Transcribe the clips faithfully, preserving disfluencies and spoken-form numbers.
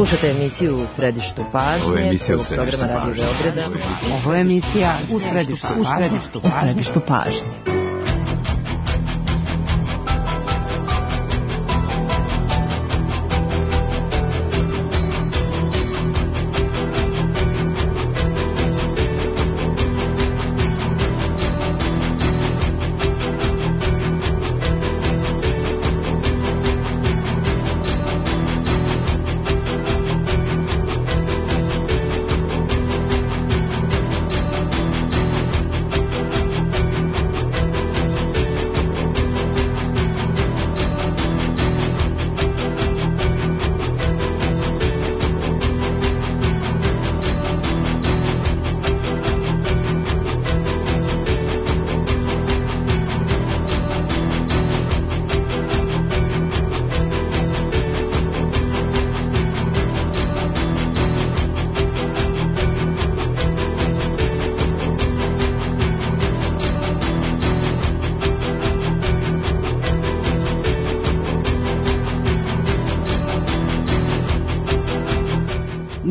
Slušate emisiju U središtu pažnje. Ovo je emisija U središtu pažnje. Ovo je emisija U središtu pažnje.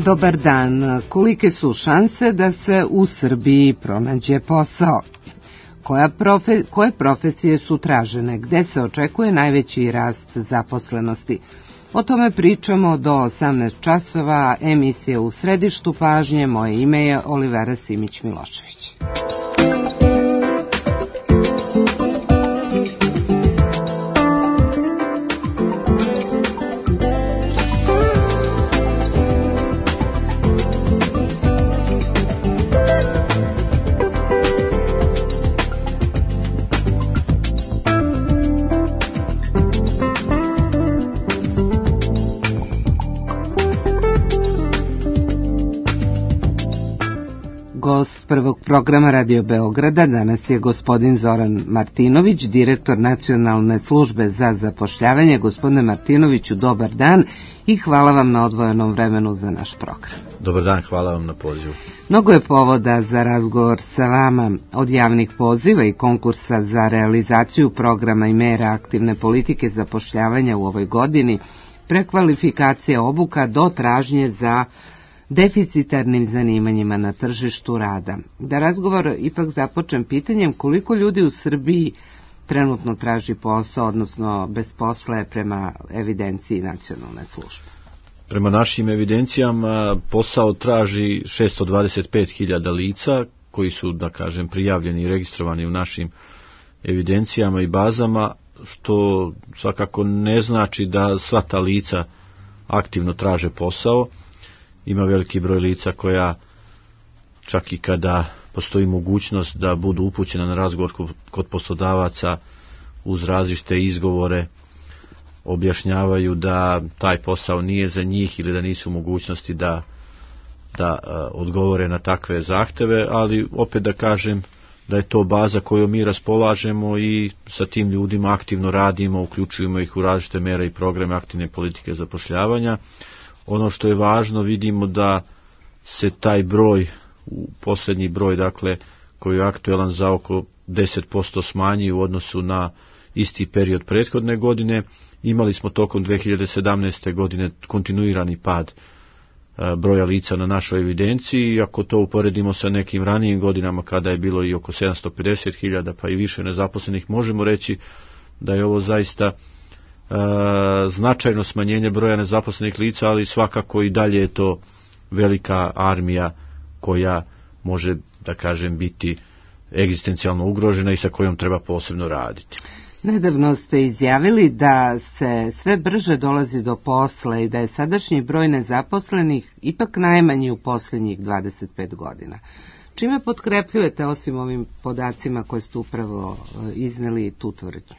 Dobar dan. Kolike su šanse da se u Srbiji pronađe posao? Koja profe, koje profesije su tražene? Gde se očekuje najveći rast zaposlenosti? O tome pričamo do osamnaest časova, emisija U središtu pažnje. Moje ime je Olivera Simić-Milošević. Prvog programa Radio Beograda danas je gospodin Zoran Martinović, direktor Nacionalne službe za zapošljavanje. Gospodine Martinoviću, dobar dan i hvala vam na odvojenom vremenu za naš program. Dobar dan, hvala vam na pozivu. Mnogo je povoda za razgovor sa vama, od javnih poziva i konkursa za realizaciju programa i mera aktivne politike zapošljavanja u ovoj godini, prekvalifikacije obuka do tražnje za deficitarnim zanimanjima na tržištu rada. Da razgovor ipak započnem pitanjem koliko ljudi u Srbiji trenutno traži posao, odnosno bez posla je prema evidenciji Nacionalne službe. Prema našim evidencijama posao traži šesto dvadeset pet hiljada lica koji su, da kažem, prijavljeni i registrovani u našim evidencijama i bazama, što svakako ne znači da sva ta lica aktivno traže posao. Ima veliki broj lica koja čak i kada postoji mogućnost da budu upućena na razgovor kod poslodavaca uz različite izgovore objašnjavaju da taj posao nije za njih ili da nisu u mogućnosti da, da odgovore na takve zahteve, ali opet da kažem da je to baza koju mi raspolažemo i sa tim ljudima aktivno radimo, uključujemo ih u različite mere i programe aktivne politike zapošljavanja. Ono što je važno, vidimo da se taj broj, posljednji broj, dakle, koji je aktuelan za oko deset posto smanji u odnosu na isti period prethodne godine. Imali smo tokom dve hiljade sedamnaeste. godine kontinuirani pad broja lica na našoj evidenciji, i ako to uporedimo sa nekim ranijim godinama kada je bilo i oko sedamsto pedeset hiljada pa i više nezaposlenih, možemo reći da je ovo zaista Uh, značajno smanjenje broja nezaposlenih lica, ali svakako i dalje je to velika armija koja može, da kažem, biti egzistencijalno ugrožena i sa kojom treba posebno raditi. Nedavno ste izjavili da se sve brže dolazi do posla i da je sadašnji broj nezaposlenih ipak najmanji u posljednjih dvadeset pet godina. Čime potkrepljujete, osim ovim podacima koje ste upravo izneli, tu tvrdnju?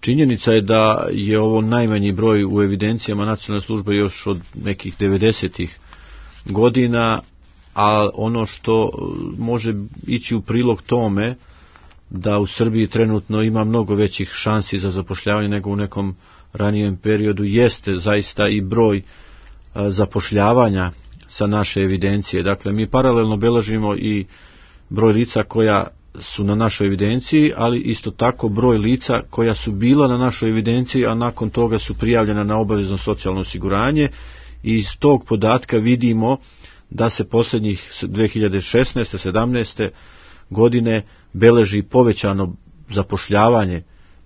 Činjenica je da je ovo najmanji broj u evidencijama Nacionalne službe još od nekih devedesetih godina, a ono što može ići u prilog tome da u Srbiji trenutno ima mnogo većih šansi za zapošljavanje nego u nekom ranijem periodu jeste zaista i broj zapošljavanja sa naše evidencije. Dakle, mi paralelno beležimo i broj lica koja su na našoj evidenciji, ali isto tako broj lica koja su bila na našoj evidenciji, a nakon toga su prijavljena na obavezno socijalno osiguranje, i iz tog podatka vidimo da se posljednjih dve hiljade šesnaeste sedamnaeste godine beleži povećano zapošljavanje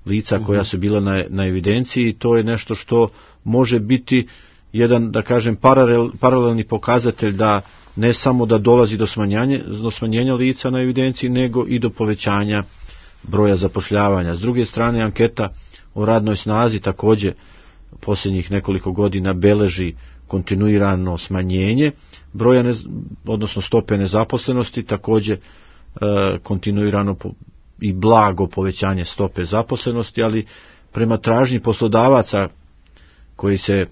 lica koja su bila na, na evidenciji. To je nešto što može biti jedan, da kažem, paralel, paralelni pokazatelj da ne samo da dolazi do smanjenja, do smanjenja lica na evidenciji, nego i do povećanja broja zapošljavanja. S druge strane, anketa o radnoj snazi također posljednjih nekoliko godina beleži kontinuirano smanjenje broja, nez, odnosno stope nezaposlenosti, također e, kontinuirano po, i blago povećanje stope zaposlenosti, ali prema tražnji poslodavaca koji se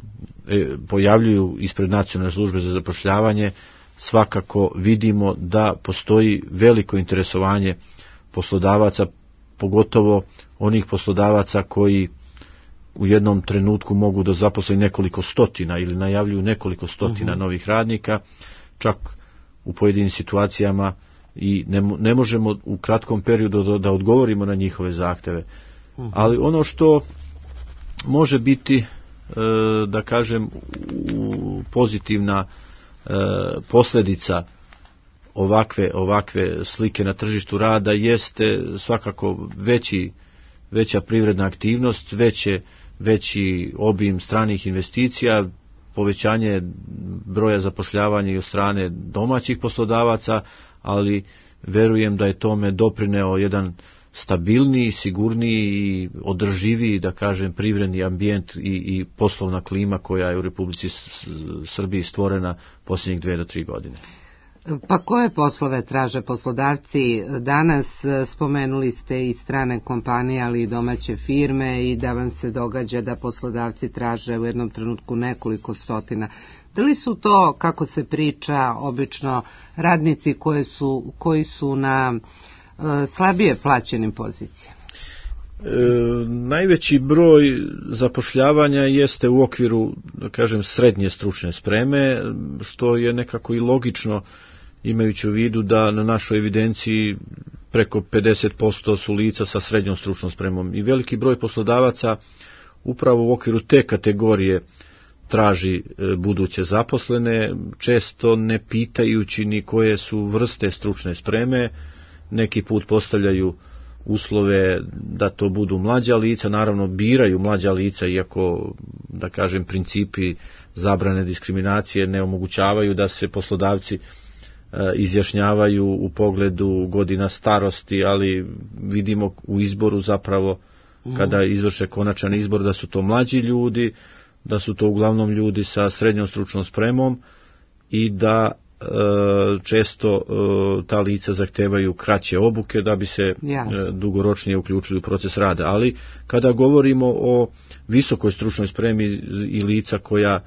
e, pojavljuju ispred Nacionalne službe za zapošljavanje, svakako vidimo da postoji veliko interesovanje poslodavaca, pogotovo onih poslodavaca koji u jednom trenutku mogu da zaposle nekoliko stotina ili najavljuju nekoliko stotina uh-huh. novih radnika, čak u pojedinim situacijama i ne, ne možemo u kratkom periodu da, da odgovorimo na njihove zahteve. Uh-huh. Ali ono što može biti, e, da kažem, u, pozitivna e, posljedica ovakve, ovakve slike na tržištu rada jeste svakako veći, veća privredna aktivnost, veće, veći obim stranih investicija, povećanje broja zapošljavanja i od strane domaćih poslodavaca, ali verujem da je tome doprineo jedan stabilniji, sigurniji i održiviji, da kažem, privredni ambijent i, i poslovna klima koja je u Republici Srbiji stvorena posljednjih dve do tri godine. Pa koje poslove traže poslodavci danas? Spomenuli ste i strane kompanije, ali i domaće firme, i da vam se događa da poslodavci traže u jednom trenutku nekoliko stotina. Da li su to, kako se priča, obično radnici koje su, koji su na uh, slabije plaćenim pozicijama? E, najveći broj zapošljavanja jeste u okviru, da kažem, srednje stručne spreme, što je nekako i logično, imajući u vidu da na našoj evidenciji preko pedeset posto su lica sa srednjom stručnom spremom i veliki broj poslodavaca upravo u okviru te kategorije traži buduće zaposlene, često ne pitajući ni koje su vrste stručne spreme. Neki put postavljaju uslove da to budu mlađa lica, naravno biraju mlađa lica, iako, da kažem, principi zabrane diskriminacije ne omogućavaju da se poslodavci izjašnjavaju u pogledu godina starosti, ali vidimo u izboru zapravo, kada izvrše konačan izbor, da su to mlađi ljudi, da su to uglavnom ljudi sa srednjom stručnom spremom i da e, često e, ta lica zahtevaju kraće obuke da bi se e, dugoročnije uključili u proces rada. Ali kada govorimo o visokoj stručnoj spremi i lica koja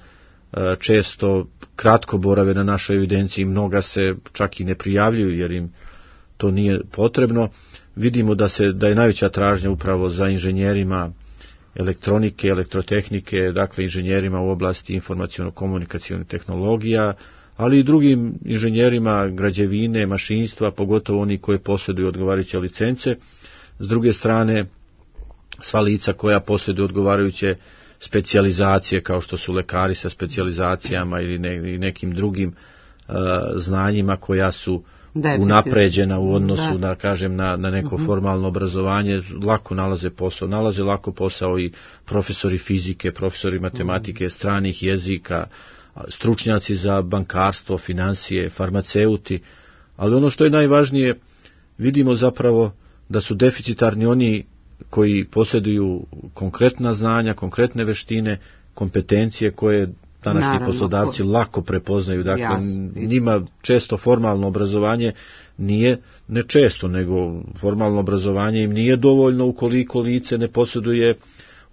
e, često kratko borave na našoj evidenciji, mnoga se čak i ne prijavljuju jer im to nije potrebno, vidimo da se da je najveća tražnja upravo za inženjerima elektronike, elektrotehnike, dakle inženjerima u oblasti informaciono-komunikacionih tehnologija, ali i drugim inženjerima građevine, mašinstva, pogotovo oni koji posjeduju odgovarajuće licence. S druge strane, sva lica koja posjeduju odgovarajuće specijalizacije, kao što su lekari sa specijalizacijama ili ne, nekim drugim uh, znanjima koja su Deficit. unapređena u odnosu da, da kažem, na, na neko uh-huh. formalno obrazovanje, lako nalaze posao, nalaze lako posao i profesori fizike, profesori matematike, uh-huh. stranih jezika, stručnjaci za bankarstvo, financije, farmaceuti, ali ono što je najvažnije, vidimo zapravo da su deficitarni oni koji posjeduju konkretna znanja, konkretne veštine, kompetencije koje današnji Naravno, poslodavci ko... lako prepoznaju. Dakle, Jasno. njima često formalno obrazovanje nije, ne često, nego formalno obrazovanje im nije dovoljno ukoliko lice ne posjeduje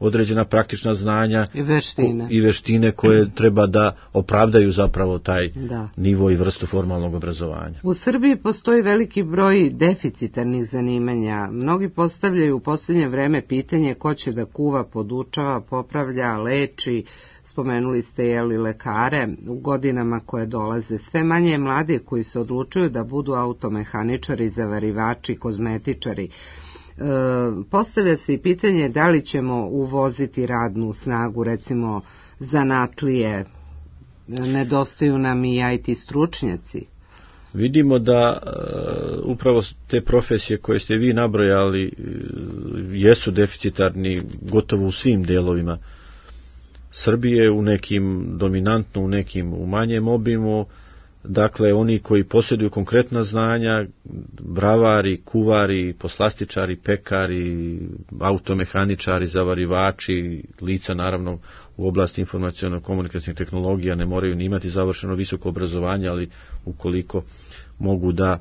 određena praktična znanja i veštine, ko, i veštine koje mm. treba da opravdaju zapravo taj da. nivo i vrstu formalnog obrazovanja. U Srbiji postoji veliki broj deficitarnih zanimanja. Mnogi postavljaju u posljednje vreme pitanje ko će da kuva, podučava, popravlja, leči. Spomenuli ste jeli lekare. U godinama koje dolaze sve manje je mlade koji se odlučuju da budu automehaničari, zavarivači, kozmetičari. E, postavlja se i pitanje da li ćemo uvoziti radnu snagu, recimo zanatlije, nedostaju nam i I T stručnjaci. Vidimo da uh, upravo te profesije koje ste vi nabrojali uh, jesu deficitarni gotovo u svim delovima Srbije, u nekim dominantno, u nekim u manjem obimu. Dakle, oni koji posjeduju konkretna znanja, bravari, kuvari, poslastičari, pekari, automehaničari, zavarivači, lica naravno u oblasti informaciono-komunikacijnih tehnologija ne moraju ni imati završeno visoko obrazovanje, ali ukoliko mogu da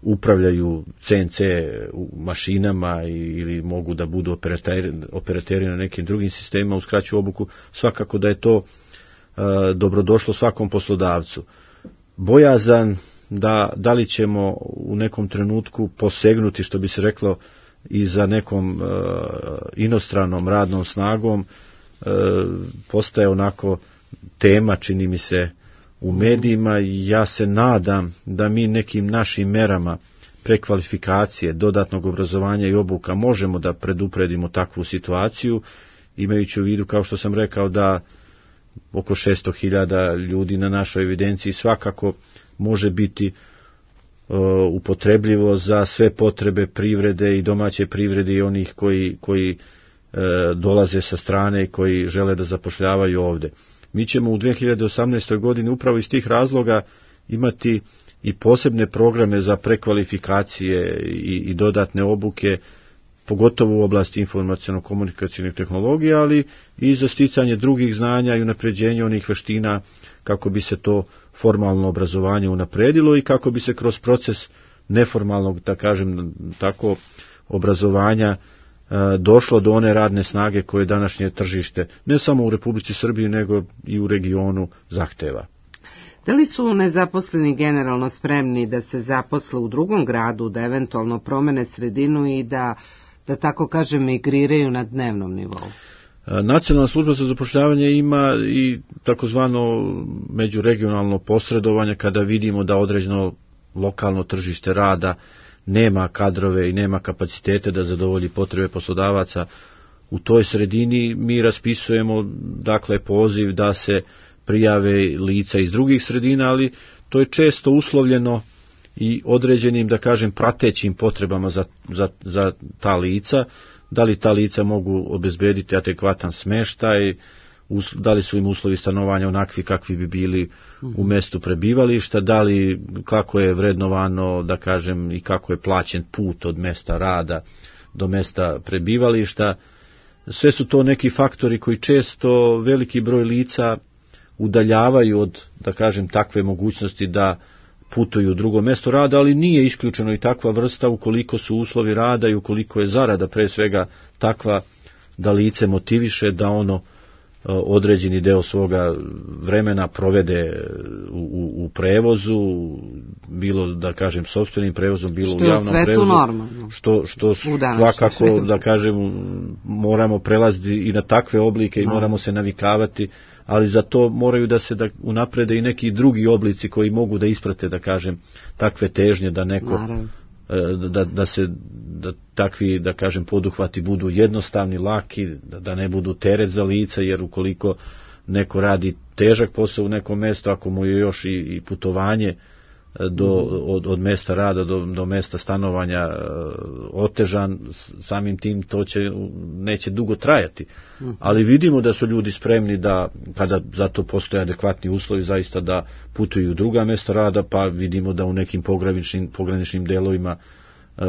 upravljaju C N C mašinama ili mogu da budu operateri, operateri na nekim drugim sistemima, uskraćuju obuku, svakako da je to uh, dobrodošlo svakom poslodavcu. Bojazan da, da li ćemo u nekom trenutku posegnuti, što bi se reklo, i za nekom uh, inostranom radnom snagom, uh, postaje onako tema, čini mi se, u medijima. Ja se nadam da mi nekim našim merama prekvalifikacije, dodatnog obrazovanja i obuka možemo da predupredimo takvu situaciju, imajući u vidu, kao što sam rekao, da oko šesto hiljada ljudi na našoj evidenciji svakako može biti uh, upotrebljivo za sve potrebe privrede i domaće privrede i onih koji, koji uh, dolaze sa strane i koji žele da zapošljavaju ovde. Mi ćemo u dve hiljade osamnaestoj godini upravo iz tih razloga imati i posebne programe za prekvalifikacije i, i dodatne obuke, pogotovo u oblasti informaciono-komunikacijnih tehnologija, ali i za sticanje drugih znanja i unapređenje onih veština kako bi se to formalno obrazovanje unapredilo i kako bi se kroz proces neformalnog, da kažem tako, obrazovanja došlo do one radne snage koje današnje tržište, ne samo u Republici Srbiji, nego i u regionu zahteva. Da li su nezaposleni generalno spremni da se zaposle u drugom gradu, da eventualno promene sredinu i da, da tako kažem, migriraju na dnevnom nivou? Nacionalna služba za zapošljavanje ima i takozvano međuregionalno posredovanje kada vidimo da određeno lokalno tržište rada nema kadrove i nema kapacitete da zadovolji potrebe poslodavaca u toj sredini. Mi raspisujemo dakle poziv da se prijave lica iz drugih sredina, ali to je često uslovljeno i određenim, da kažem, pratećim potrebama za, za, za ta lica, da li ta lica mogu obezbediti adekvatan smeštaj, da li su im uslovi stanovanja onakvi kakvi bi bili u mestu prebivališta, da li kako je vrednovano, da kažem, i kako je plaćen put od mesta rada do mesta prebivališta. Sve su to neki faktori koji često veliki broj lica udaljavaju od, da kažem, takve mogućnosti da putuju u drugo mesto rada, ali nije isključeno i takva vrsta ukoliko su uslovi rada i ukoliko je zarada pre svega takva da lice motiviše da ono određeni deo svoga vremena provede u, u, u prevozu, bilo, da kažem, sopstvenim prevozom, bilo što u javnom prevozu, normalno. što, što svakako, da kažem, moramo prelaziti i na takve oblike i no. moramo se navikavati, ali za to moraju da se da unaprede i neki drugi oblici koji mogu da isprate, da kažem, takve težnje da neko Naravno. Da, da se da takvi, da kažem, poduhvati budu jednostavni, laki, da, da ne budu teret za lica, jer ukoliko neko radi težak posao u nekom mjestu, ako mu je još i, i putovanje do, od, od mesta rada do, do mesta stanovanja otežan, samim tim to će, neće dugo trajati. Ali vidimo da su ljudi spremni da, kada za to postoje adekvatni uslovi, zaista da putuju u druga mesta rada, pa vidimo da u nekim pograničnim, pograničnim delovima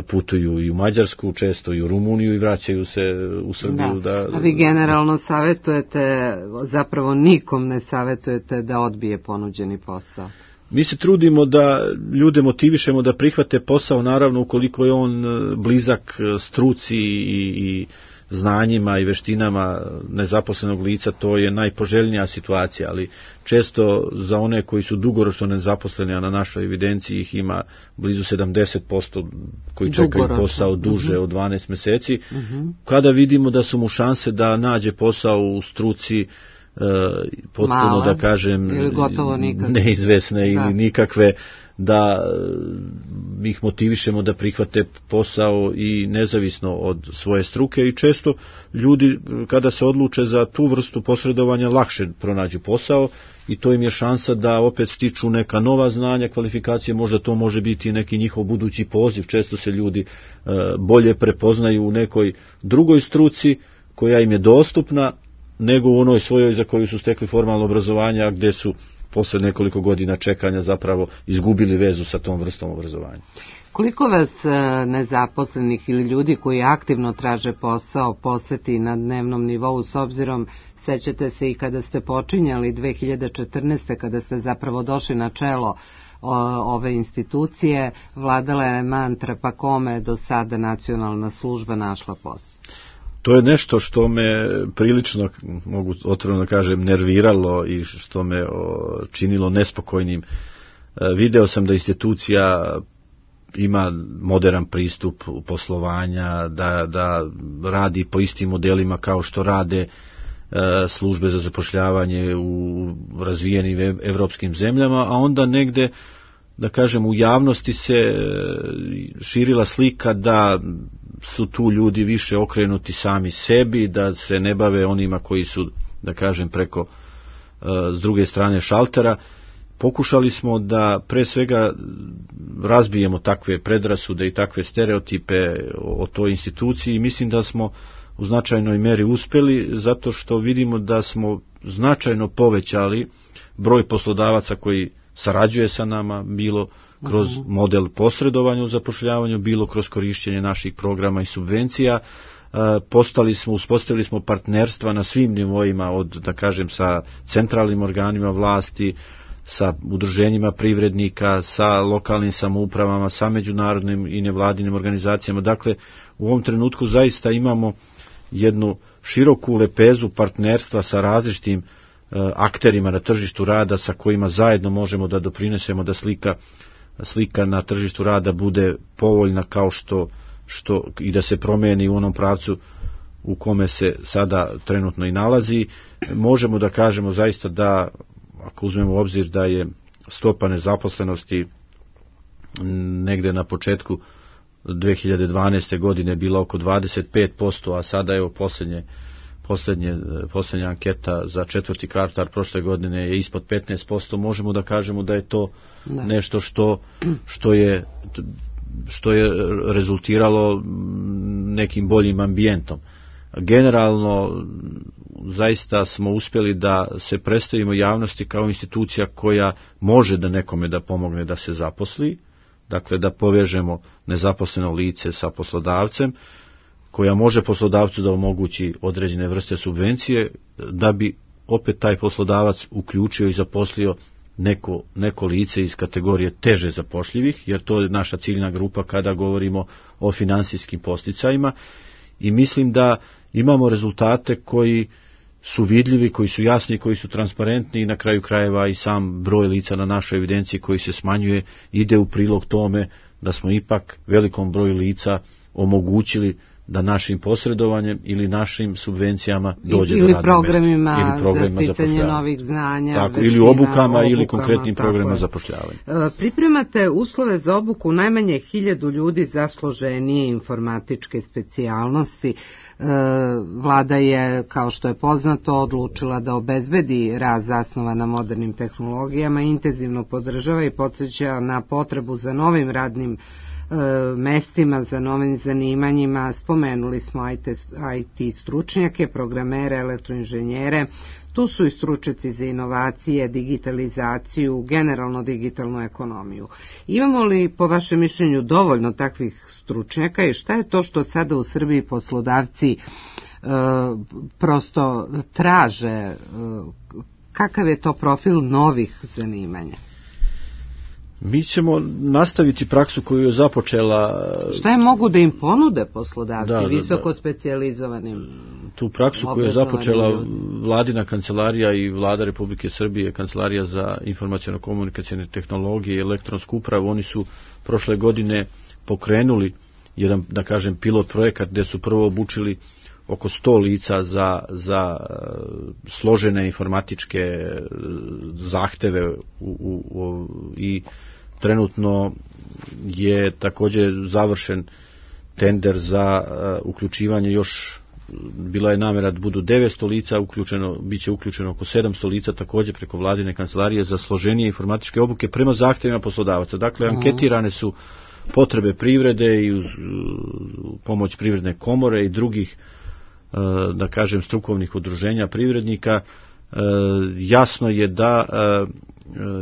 putuju i u Mađarsku, često i u Rumuniju i vraćaju se u Srbiju. Da. Da, a vi generalno savjetujete, zapravo nikom ne savjetujete da odbije ponuđeni posao? Mi se trudimo da ljude motivišemo da prihvate posao, naravno ukoliko je on blizak struci i, i znanjima i veštinama nezaposlenog lica, to je najpoželjnija situacija, ali često za one koji su dugoročno nezaposleni, a na našoj evidenciji ih ima blizu sedamdeset posto koji čekaju posao duže uh-huh. od dvanaest meseci, uh-huh. kada vidimo da su mu šanse da nađe posao u struci Uh, potpuno, male, da kažem, neizvesne da. ili nikakve, da ih motivišemo da prihvate posao i nezavisno od svoje struke i često ljudi kada se odluče za tu vrstu posredovanja lakše pronađu posao i to im je šansa da opet stiču neka nova znanja, kvalifikacije, možda to može biti i neki njihov budući poziv, često se ljudi bolje prepoznaju u nekoj drugoj struci koja im je dostupna nego u onoj svojoj za koju su stekli formalno obrazovanje, a gde su posle nekoliko godina čekanja zapravo izgubili vezu sa tom vrstom obrazovanja. Koliko vas nezaposlenih ili ljudi koji aktivno traže posao poseti na dnevnom nivou, s obzirom, sećate se i kada ste počinjali dve hiljade četrnaeste. kada ste zapravo došli na čelo ove institucije, vladala je mantra pa kome do sada nacionalna služba našla posao? To je nešto što me prilično, mogu otvoreno kažem, nerviralo i što me činilo nespokojnim. Video sam da institucija ima modern pristup poslovanja, da, da radi po istim modelima kao što rade službe za zapošljavanje u razvijenim evropskim zemljama, a onda negde, da kažem, u javnosti se širila slika da su tu ljudi više okrenuti sami sebi, da se ne bave onima koji su, da kažem, preko s druge strane šaltera. Pokušali smo da pre svega razbijemo takve predrasude i takve stereotipe o toj instituciji i mislim da smo u značajnoj meri uspeli zato što vidimo da smo značajno povećali broj poslodavaca koji sarađuje sa nama, bilo kroz model posredovanja u zapošljavanju, bilo kroz korišćenje naših programa i subvencija. Postali smo, uspostavili smo partnerstva na svim nivoima, od, da kažem, sa centralnim organima vlasti, sa udruženjima privrednika, sa lokalnim samoupravama, sa međunarodnim i nevladinim organizacijama. Dakle, u ovom trenutku zaista imamo jednu široku lepezu partnerstva sa različitim akterima na tržištu rada sa kojima zajedno možemo da doprinesemo da slika, slika na tržištu rada bude povoljna kao što, što i da se promeni u onom pravcu u kome se sada trenutno i nalazi. Možemo da kažemo zaista da, ako uzmemo u obzir da je stopa nezaposlenosti negde na početku dve hiljade dvanaeste. godine bila oko dvadeset pet posto, a sada je poslednje Poslednje, poslednja anketa za četvrti kvartal prošle godine je ispod petnaest posto, možemo da kažemo da je to da. nešto što, što, je, što je rezultiralo nekim boljim ambijentom. Generalno, zaista smo uspjeli da se predstavimo javnosti kao institucija koja može da nekome da pomogne da se zaposli, dakle da povežemo nezaposleno lice sa poslodavcem, koja može poslodavcu da omogući određene vrste subvencije, da bi opet taj poslodavac uključio i zaposlio neko, neko lice iz kategorije teže zapošljivih, jer to je naša ciljna grupa kada govorimo o finansijskim podsticajima i mislim da imamo rezultate koji su vidljivi, koji su jasni, koji su transparentni i na kraju krajeva i sam broj lica na našoj evidenciji koji se smanjuje ide u prilog tome da smo ipak velikom broju lica omogućili da našim posredovanjem ili našim subvencijama dođe ili do radnog mjesta. Ili programima za sticanje novih znanja, tako, veština, ili obukama, obukama ili konkretnim programima je. zapošljavanja. Pripremate uslove za obuku najmanje hiljadu ljudi za složenije informatičke specijalnosti. Vlada je, kao što je poznato, odlučila da obezbedi rast zasnovan na modernim tehnologijama, intenzivno podržava i podsjeća na potrebu za novim radnim mestima, za novim zanimanjima. Spomenuli smo I T stručnjake, programere, elektroinženjere, tu su i stručnjaci za inovacije, digitalizaciju, generalno digitalnu ekonomiju. Imamo li po vašem mišljenju dovoljno takvih stručnjaka i šta je to što sada u Srbiji poslodavci e, prosto traže, e, kakav je to profil novih zanimanja? Mi ćemo nastaviti praksu koju je započela... Šta je mogu da im ponude poslodavci, da, da, visoko da. specijalizovanim? Tu praksu koju je započela ljudi. Vladina kancelarija i Vlada Republike Srbije, Kancelarija za informaciono-komunikacijne tehnologije i elektronsku upravu, oni su prošle godine pokrenuli jedan, da kažem, pilot projekat gde su prvo obučili oko sto lica za, za složene informatičke zahteve u, u, u, i trenutno je također završen tender za uh, uključivanje još, bila je namjera da budu devetsto lica, uključeno, bit će uključeno oko sedamsto lica također preko vladine kancelarije za složenije informatičke obuke prema zahtjevima poslodavaca. Dakle, anketirane su potrebe privrede i uz pomoć privredne komore i drugih, da kažem, strukovnih udruženja privrednika. Jasno je da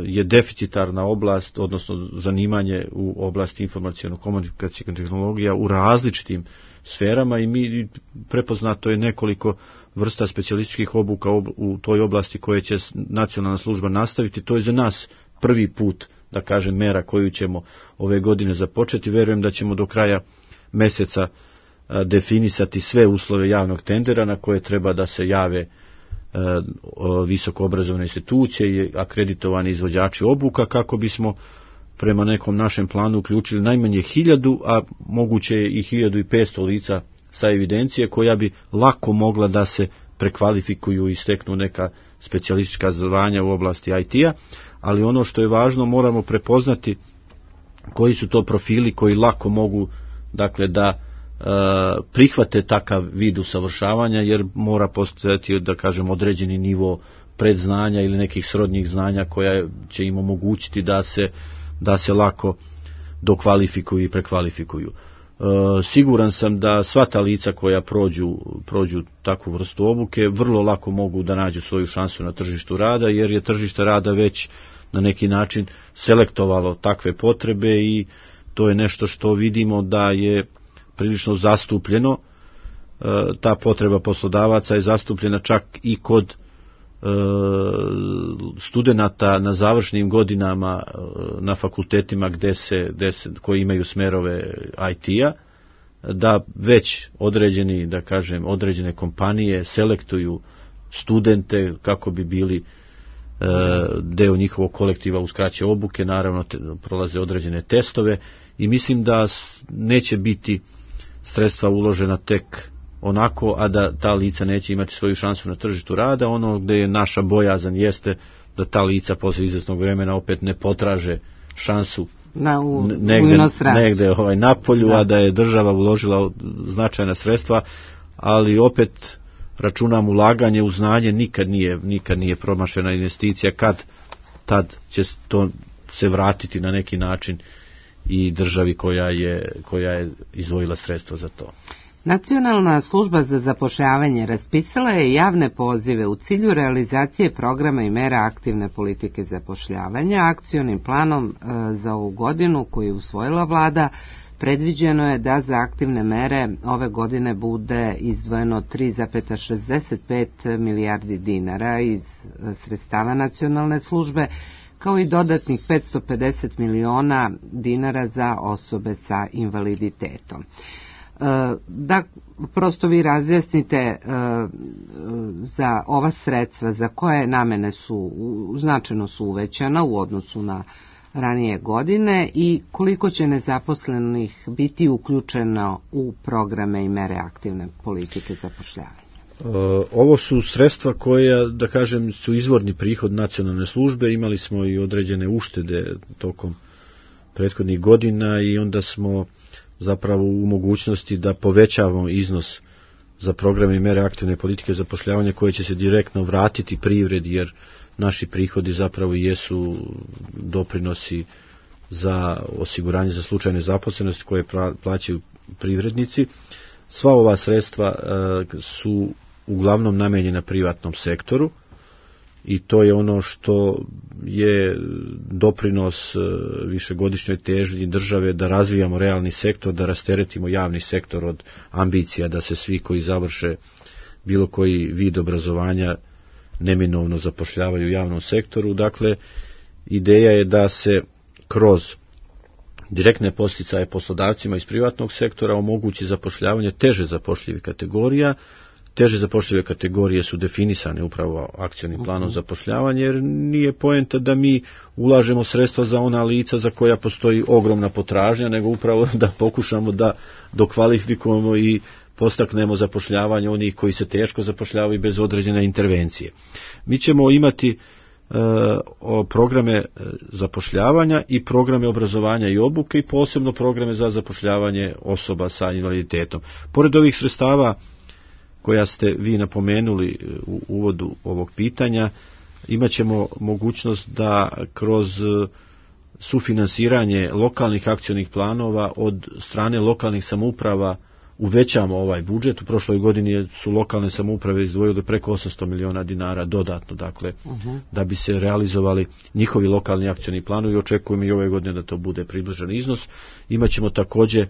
je deficitarna oblast, odnosno zanimanje u oblasti informaciono-komunikacijskih tehnologija u različitim sferama i mi prepoznato je nekoliko vrsta specijalističkih obuka u toj oblasti koje će nacionalna služba nastaviti. To je za nas prvi put, da kažem, mera koju ćemo ove godine započeti. Verujem da ćemo do kraja mjeseca definisati sve uslove javnog tendera na koje treba da se jave visoko obrazovne institucije i akreditovani izvođači obuka kako bismo prema nekom našem planu uključili najmanje hiljadu, a moguće je i hiljadu i petsto lica sa evidencije koja bi lako mogla da se prekvalifikuju i steknu neka specijalistička zvanja u oblasti I T-a, ali ono što je važno, moramo prepoznati koji su to profili koji lako mogu, dakle, da e, prihvate takav vid usavršavanja, jer mora postojati, da kažem, određeni nivo predznanja ili nekih srodnih znanja koja će im omogućiti da se da se lako dokvalifikuju i prekvalifikuju. E, siguran sam da sva ta lica koja prođu, prođu takvu vrstu obuke vrlo lako mogu da nađu svoju šansu na tržištu rada, jer je tržište rada već na neki način selektovalo takve potrebe i to je nešto što vidimo da je prilično zastupljeno. E, ta potreba poslodavaca je zastupljena čak i kod studenata na završnim godinama na fakultetima gde se, gde se, koji imaju smerove I T-a, da već određeni, da kažem, određene kompanije selektuju studente kako bi bili e, deo njihovog kolektiva uz kraće obuke, naravno te, prolaze određene testove i mislim da neće biti sredstva uložena tek onako, a da ta lica neće imati svoju šansu na tržištu rada. Ono gdje je naša bojazan jeste da ta lica poslije izvjesnog vremena opet ne potraže šansu na, u, negde, u negde ovaj, na polju, da. A da je država uložila značajna sredstva, ali opet računam ulaganje u znanje nikad nije, nikad nije promašena investicija, kad tad će to se vratiti na neki način i državi koja je, koja je izdvojila sredstva za to. Nacionalna služba za zapošljavanje raspisala je javne pozive u cilju realizacije programa i mera aktivne politike zapošljavanja. Akcionim planom e, za ovu godinu koju je usvojila vlada predviđeno je da za aktivne mere ove godine bude izdvojeno tri zarez šezdeset pet milijardi dinara iz sredstava nacionalne službe, kao i dodatnih petsto pedeset miliona dinara za osobe sa invaliditetom. Da prosto vi razjasnite za ova sredstva za koje namene su značajno su uvećana u odnosu na ranije godine i koliko će nezaposlenih biti uključeno u programe i mere aktivne politike zapošljavanja. Ovo su sredstva koja, da kažem, su izvorni prihod nacionalne službe. Imali smo i određene uštede tokom prethodnih godina i onda smo zapravo u mogućnosti da povećavamo iznos za programe i mere aktivne politike zapošljavanja koje će se direktno vratiti privredi, jer naši prihodi zapravo jesu doprinosi za osiguranje za slučaj nezaposlenosti koje plaćaju privrednici. Sva ova sredstva su uglavnom namenjena privatnom sektoru i to je ono što je doprinos višegodišnjoj težnji države da razvijamo realni sektor, da rasteretimo javni sektor od ambicija da se svi koji završe bilo koji vid obrazovanja neminovno zapošljavaju u javnom sektoru. Dakle, ideja je da se kroz direktne podsticaje poslodavcima iz privatnog sektora omogući zapošljavanje teže zapošljivih kategorija. Teže zapošljive kategorije su definisane upravo akcionim planom zapošljavanja, jer nije poenta da mi ulažemo sredstva za ona lica za koja postoji ogromna potražnja, nego upravo da pokušamo da dokvalifikujemo i postaknemo zapošljavanje onih koji se teško zapošljavaju bez određene intervencije. Mi ćemo imati o programe zapošljavanja i programe obrazovanja i obuke i posebno programe za zapošljavanje osoba sa invaliditetom. Pored ovih sredstava koja ste vi napomenuli u uvodu ovog pitanja, imat ćemo mogućnost da kroz sufinansiranje lokalnih akcionih planova od strane lokalnih samouprava uvećamo ovaj budžet. U prošloj godini su lokalne samouprave izdvojile preko osamsto miliona dinara dodatno, dakle, uh-huh. da bi se realizovali njihovi lokalni akcioni planovi i očekujemo i ove godine da to bude približan iznos. Imaćemo također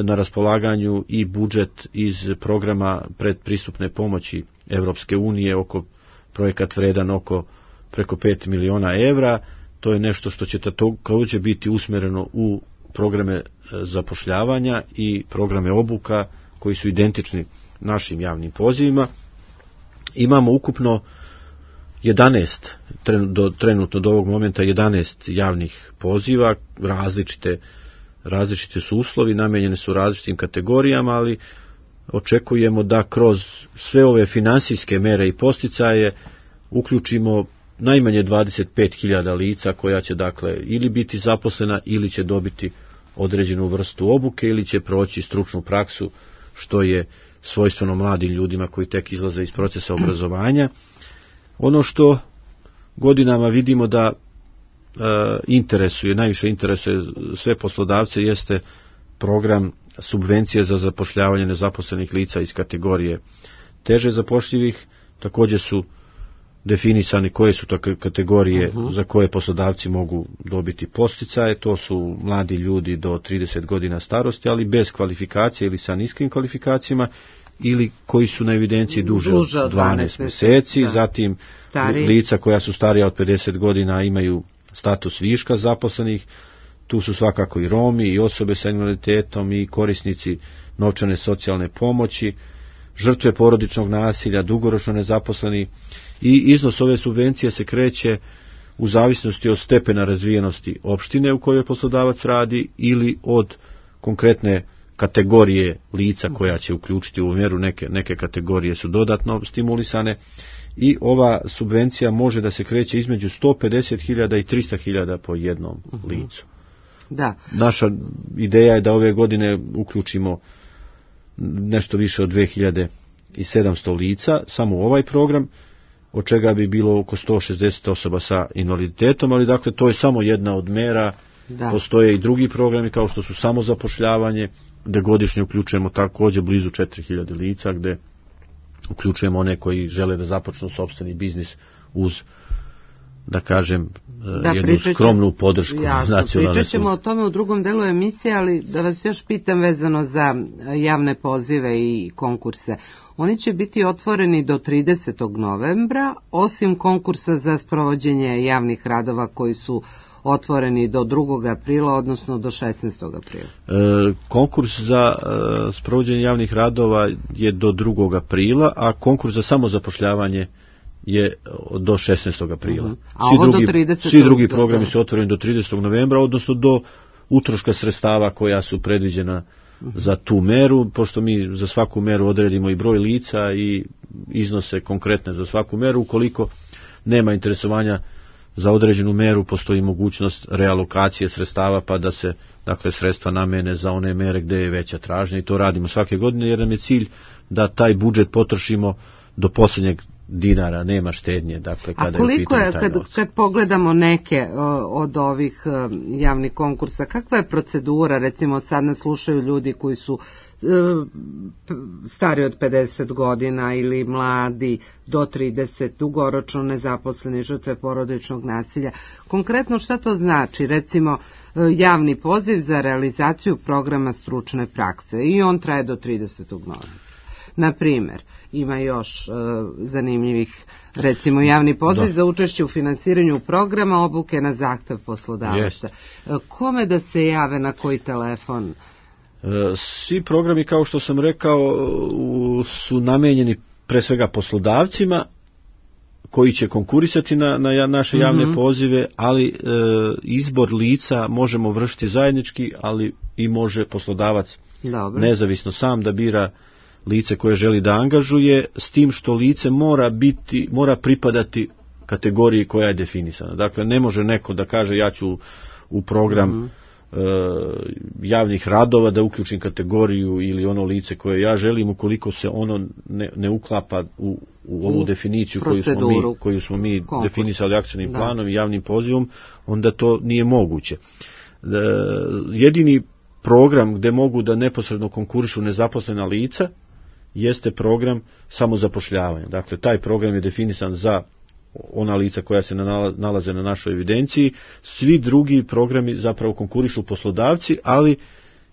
na raspolaganju i budžet iz programa predpristupne pomoći Evropske unije, oko projekat vredan oko preko pet miliona evra. To je nešto što će također biti usmjereno u programe zapošljavanja i programe obuka koji su identični našim javnim pozivima. Imamo ukupno jedanaest, do, trenutno do ovog momenta jedanaest javnih poziva, različite, različite su uslovi, namijenjene su različitim kategorijama, ali očekujemo da kroz sve ove finansijske mere i posticaje uključimo najmanje dvadeset pet hiljada lica koja će dakle ili biti zaposlena ili će dobiti određenu vrstu obuke ili će proći stručnu praksu, što je svojstveno mladim ljudima koji tek izlaze iz procesa obrazovanja. Ono što godinama vidimo da e, interesuje, najviše interesuje sve poslodavce jeste program subvencije za zapošljavanje nezaposlenih lica iz kategorije teže zapošljivih. Također su definisani koje su to kategorije uh-huh. za koje poslodavci mogu dobiti podsticaje. To su mladi ljudi do trideset godina starosti, ali bez kvalifikacije ili sa niskim kvalifikacijama, ili koji su na evidenciji duže, duže od dvanaest mjeseci, da. Zatim Stari. lica koja su starija od pedeset godina imaju status viška zaposlenih. Tu su svakako i Romi i osobe sa invaliditetom i korisnici novčane socijalne pomoći, žrtve porodičnog nasilja, dugoročno nezaposleni. I iznos ove subvencije se kreće u zavisnosti od stepena razvijenosti opštine u kojoj poslodavac radi ili od konkretne kategorije lica koja će uključiti u mjeru. Neke, neke kategorije su dodatno stimulisane i ova subvencija može da se kreće između sto pedeset hiljada i trista hiljada po jednom uh-huh. licu. Da. Naša ideja je da ove godine uključimo nešto više od dve hiljade sedamsto lica samo u ovaj program, od čega bi bilo oko sto šezdeset osoba sa invaliditetom, ali dakle to je samo jedna od mera. Da. Postoje i drugi programi kao što su samozapošljavanje, gdje godišnje uključujemo također blizu četiri hiljade lica, gdje uključujemo one koji žele da započnu sopstveni biznis uz, da kažem, da, jednu pričaćem, skromnu podršku nacionalne službe. Pričat ćemo o tome u drugom delu emisije, ali da vas još pitam vezano za javne pozive i konkurse. Oni će biti otvoreni do tridesetog novembra, osim konkursa za sprovođenje javnih radova koji su otvoreni do drugog aprila, odnosno do šesnaestog aprila. E, konkurs za e, sprovođenje javnih radova je do drugog aprila, a konkurs za samozapošljavanje je do šesnaestog aprila. Uh-huh. A svi, drugi, do tridesetog svi drugi programi su otvoreni do tridesetog novembra, odnosno do utroška sredstava koja su predviđena uh-huh. za tu meru, pošto mi za svaku meru odredimo i broj lica i iznose konkretne za svaku meru. Ukoliko nema interesovanja za određenu meru, postoji mogućnost realokacije sredstava, pa da se dakle sredstva namene za one mere gdje je veća tražnja, i to radimo svake godine jer nam je cilj da taj budžet potrošimo do posljednjeg dinara, nema štednje. Dakle, kada a koliko je, je kad, kad pogledamo neke o, od ovih o, javnih konkursa, kakva je procedura? Recimo sad nas slušaju ljudi koji su e, stari od pedeset godina ili mladi do trideset, dugoročno nezaposleni, žrtve porodičnog nasilja. Konkretno šta to znači? Recimo javni poziv za realizaciju programa stručne prakse i on traje do tridesetog novembra. Na primjer, ima još e, zanimljivih, recimo javni poziv da. za učešće u finansiranju programa obuke na zahtev poslodavaca. Yes. Kome da se jave, na koji telefon? E, svi programi, kao što sam rekao, u, su namijenjeni pre svega poslodavcima koji će konkurisati na, na naše javne mm-hmm. pozive, ali e, izbor lica možemo vršiti zajednički, ali i može poslodavac Dobre. nezavisno sam da bira lice koje želi da angažuje, s tim što lice mora biti, mora pripadati kategoriji koja je definisana. Dakle, ne može neko da kaže ja ću u program mm-hmm. e, javnih radova da uključim kategoriju ili ono lice koje ja želim, ukoliko se ono ne, ne uklapa u, u ovu u definiciju koju smo mi, koju smo mi definisali akcionim da. planom i javnim pozivom, onda to nije moguće. E, jedini program gde mogu da neposredno konkurišu nezaposlena lica jeste program samozapošljavanja. Dakle, taj program je definisan za ona lica koja se nalaze na našoj evidenciji. Svi drugi programi zapravo konkurišu poslodavci, ali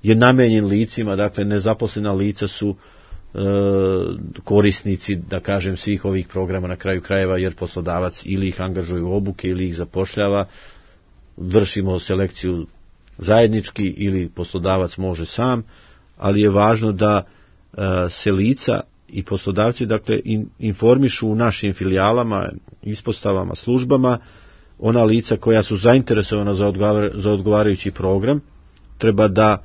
je namenjen licima, dakle nezaposlena lica su e, korisnici, da kažem, svih ovih programa na kraju krajeva, jer poslodavac ili ih angažuje u obuke ili ih zapošljava, vršimo selekciju zajednički ili poslodavac može sam, ali je važno da e, se lica i poslodavci, dakle, in, informišu u našim filijalama, ispostavama, službama, ona lica koja su zainteresovana za, odgovar, za odgovarajući program, treba da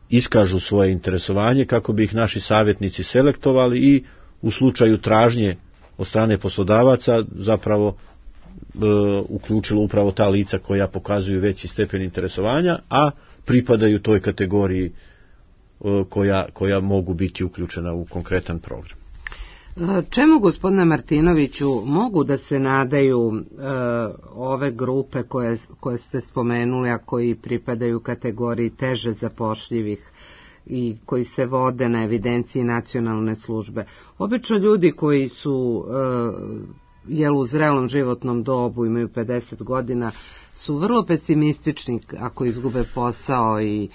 iskažu svoje interesovanje kako bi ih naši savjetnici selektovali i u slučaju tražnje od strane poslodavaca zapravo e, uključilo upravo ta lica koja pokazuju veći stepen interesovanja, a pripadaju toj kategoriji koja, koja mogu biti uključena u konkretan program. Čemu, gospodine Martinoviću, mogu da se nadaju e, ove grupe koje, koje ste spomenuli, a koji pripadaju kategoriji teže zapošljivih i koji se vode na evidenciji nacionalne službe? Obično ljudi koji su e, jel u zrelom životnom dobu, imaju pedeset godina, su vrlo pesimistični ako izgube posao i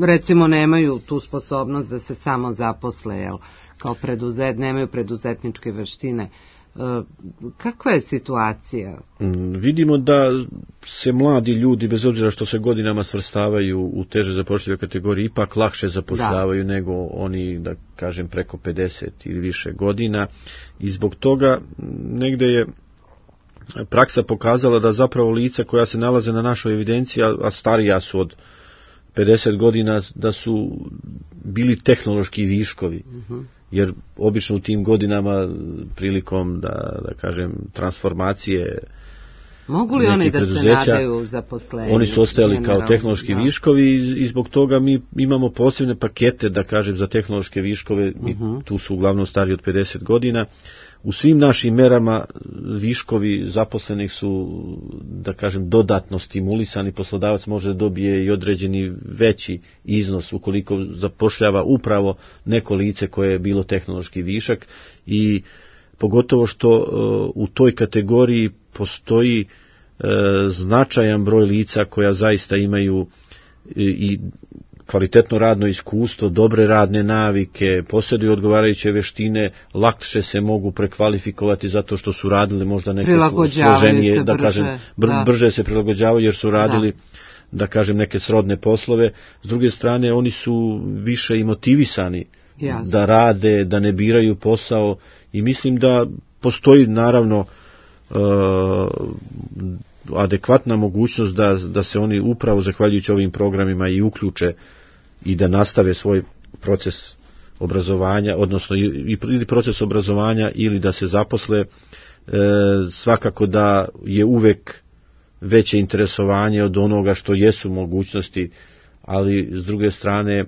recimo nemaju tu sposobnost da se samo zaposle, jel, kao preduzet, nemaju preduzetničke veštine. E, kakva je situacija? Mm, vidimo da se mladi ljudi, bez obzira što se godinama svrstavaju u teže zapošljive kategorije, ipak lakše zapošljavaju da. nego oni, da kažem, preko pedeset ili više godina, i zbog toga negde je praksa pokazala da zapravo lica koja se nalaze na našoj evidenciji, a starija su od pedeset godina, da su bili tehnološki viškovi, uh-huh. jer obično u tim godinama prilikom, da, da kažem, transformacije mogu li oni da se nadaju zaposlenju? Oni su ostajali kao tehnološki da. viškovi i, i zbog toga mi imamo posebne pakete, da kažem, za tehnološke viškove, uh-huh. tu su uglavnom stari od pedeset godina. U svim našim merama viškovi zaposlenih su, da kažem, dodatno stimulisani, poslodavac može da dobije i određeni veći iznos ukoliko zapošljava upravo neko lice koje je bilo tehnološki višak, i pogotovo što uh, u toj kategoriji postoji uh, značajan broj lica koja zaista imaju i, i kvalitetno radno iskustvo, dobre radne navike, posjeduju odgovarajuće veštine, lakše se mogu prekvalifikovati zato što su radili možda neke složenije, da kažem, br- da. brže se prilagođavaju jer su radili, da. da kažem, neke srodne poslove. S druge strane, oni su više i motivisani Jasne. da rade, da ne biraju posao, i mislim da postoji naravno uh, adekvatna mogućnost da, da se oni upravo zahvaljujući ovim programima i uključe i da nastave svoj proces obrazovanja, odnosno ili proces obrazovanja ili da se zaposle. E, svakako da je uvek veće interesovanje od onoga što jesu mogućnosti, ali s druge strane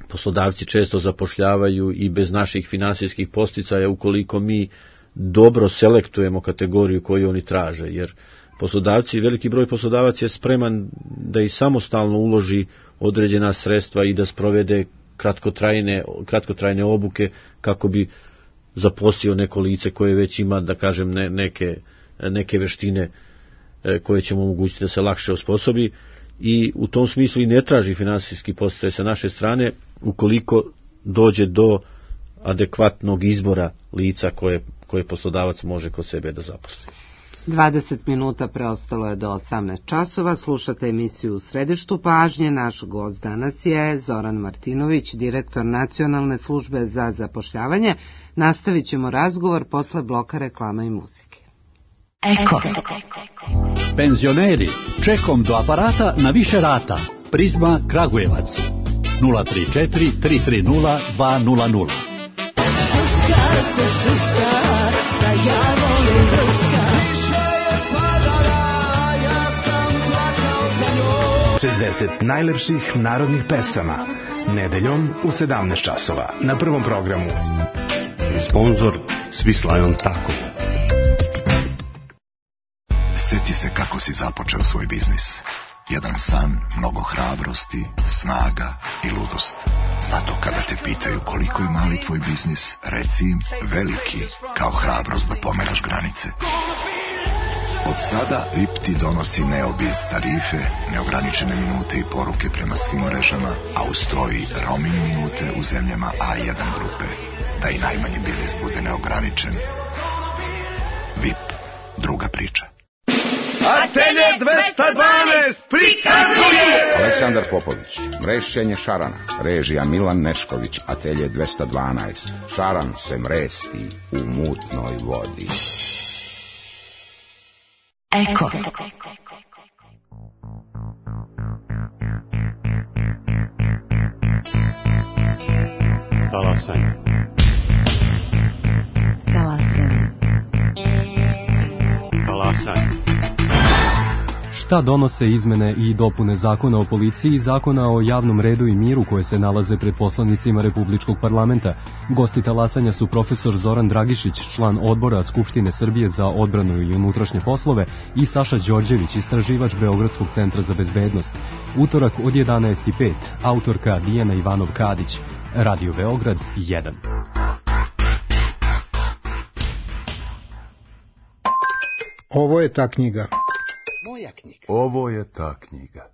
poslodavci često zapošljavaju i bez naših finansijskih podsticaja ukoliko mi dobro selektujemo kategoriju koju oni traže, jer poslodavci, veliki broj poslodavac je spreman da i samostalno uloži određena sredstva i da sprovede kratkotrajne, kratkotrajne obuke kako bi zaposlio neko lice koje već ima, da kažem, ne, neke, neke veštine koje će mu omogućiti da se lakše osposobi, i u tom smislu i ne traži finansijski podsticaj sa naše strane ukoliko dođe do adekvatnog izbora lica koje, koje poslodavac može kod sebe da zaposli. dvadeset minuta preostalo je do osamnaest časova. Slušate emisiju U središtu pažnje. Naš gost danas je Zoran Martinović, direktor Nacionalne službe za zapošljavanje. Nastavit ćemo razgovor posle bloka reklama i muzike. Eko. Penzioneri, čekom do aparata na više rata. Prizma Kragujevac. nula tri četiri tri tri nula dva nula nula. Suska se suska, da ja volim drska. trideset najlepših narodnih pesama. Nedeljom u sedamnaest časova na Prvom programu. Sponzor Swislion Tako. Sjeti se kako si započeo svoj biznis. Jedan san, mnogo hrabrosti, snaga i ludost. Zato kada te pitaju koliko je mali tvoj biznis, reci im veliki, kao hrabrost da pomeraš granice. Od sada V I P ti donosi Neobiz tarife, neograničene minute i poruke prema svim mrežama, a uz to i roaming minute u zemljama A jedan grupe, da i najmanji biznis bude neograničen. V I P, druga priča. Atelje dvesta dvanaest prikazuje Aleksandar Popović, mrešćenje šarana, režija Milan Nešković. Atelje dvesta dvanaest, šaran se mresti u mutnoj vodi. Eko. Talasanje. Talasanje. Talasanje. Šta donose izmene i dopune Zakona o policiji i Zakona o javnom redu i miru koje se nalaze pred poslanicima Republičkog parlamenta? Gosti talasanja su profesor Zoran Dragišić, član odbora Skupštine Srbije za odbranu i unutrašnje poslove, i Saša Đorđević, istraživač Beogradskog centra za bezbednost. Utorak od jedanaest i pet, autorka Dijana Ivanov-Kadić. Radio Beograd jedan. Ovo je ta knjiga. Moja knjiga. Ovo je ta knjiga.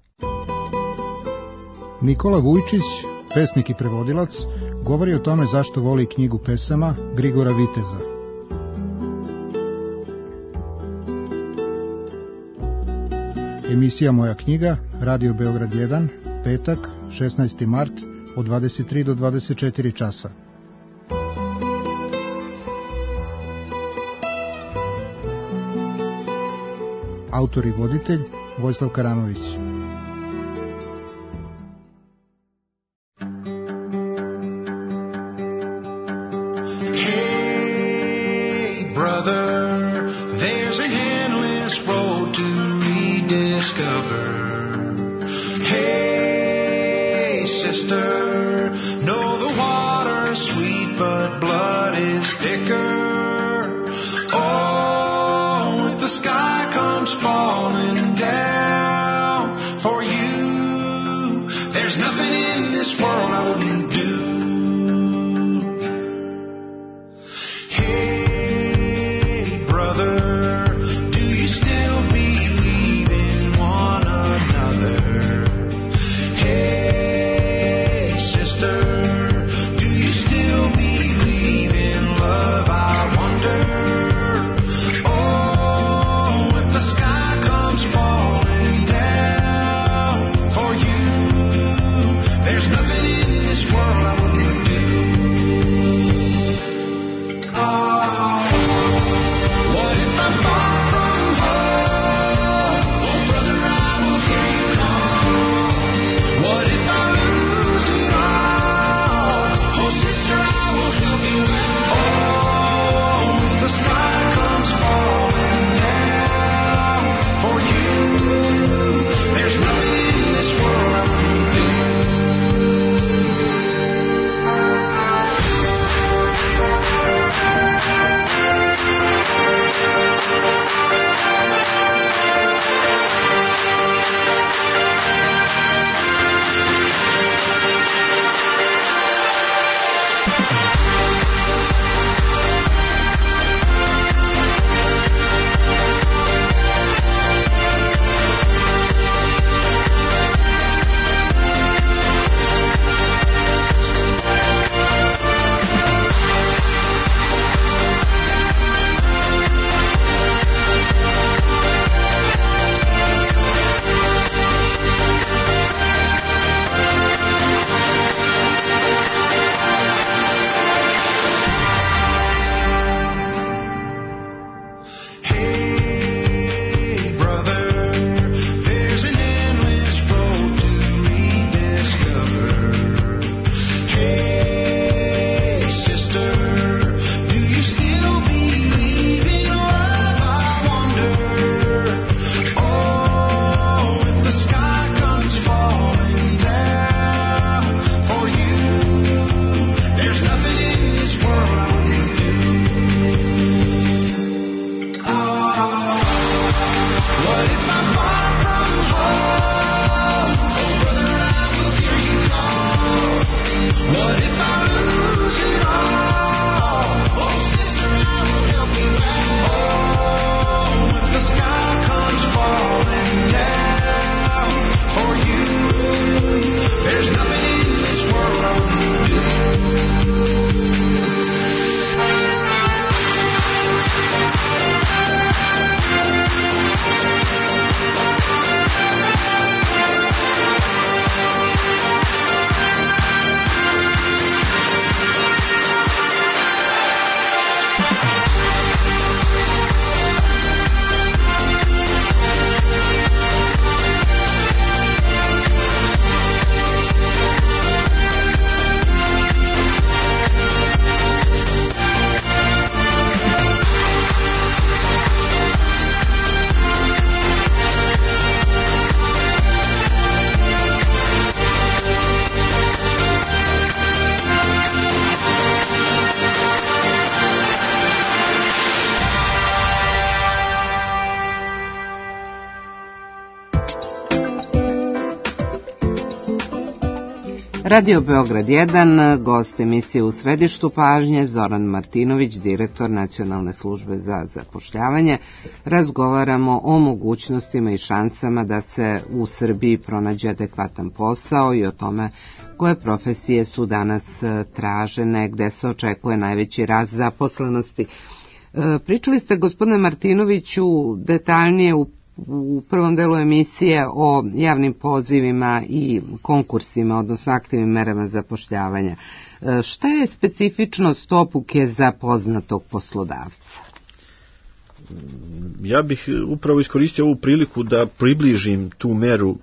Nikola Vujčić, pesnik i prevodilac, govori o tome zašto voli knjigu pesama Grigora Viteza. Emisija Moja knjiga, Radio Beograd jedan, petak, šesnaesti mart, od dvadeset tri do dvadeset četiri časa. Autor i voditelj Vojislav Karamović. Hey brother, there's a endless road to rediscover. Hey sister, know the water's sweet but blood is thicker. Oh, if the sky comes falling down for you, there's nothing in this world I wouldn't do. Hey brother, do you still believe in one another? Hey Radio Beograd jedan, gost emisije U središtu pažnje, Zoran Martinović, direktor Nacionalne službe za zapošljavanje. Razgovaramo o mogućnostima i šansama da se u Srbiji pronađe adekvatan posao i o tome koje profesije su danas tražene, gde se očekuje najveći rast zaposlenosti. Pričali ste, gospodine Martinoviću, detaljnije u u prvom delu emisije o javnim pozivima i konkursima, odnosno aktivnim merama zapošljavanja. Šta je specifičnost obuke za poznatog poslodavca? Ja bih upravo iskoristio ovu priliku da približim tu meru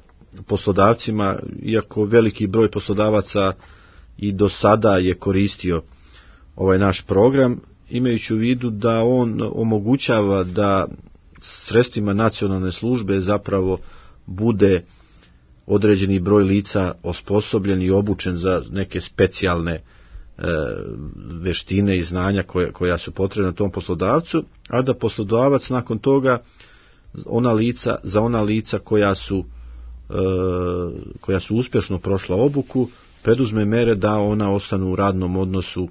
poslodavcima, iako veliki broj poslodavaca i do sada je koristio ovaj naš program, imajući u vidu da on omogućava da sredstvima nacionalne službe zapravo bude određeni broj lica osposobljen i obučen za neke specijalne e, veštine i znanja koja, koja su potrebna tom poslodavcu, a da poslodavac nakon toga ona lica, za ona lica koja su, e, koja su uspješno prošla obuku, preduzme mere da ona ostanu u radnom odnosu e,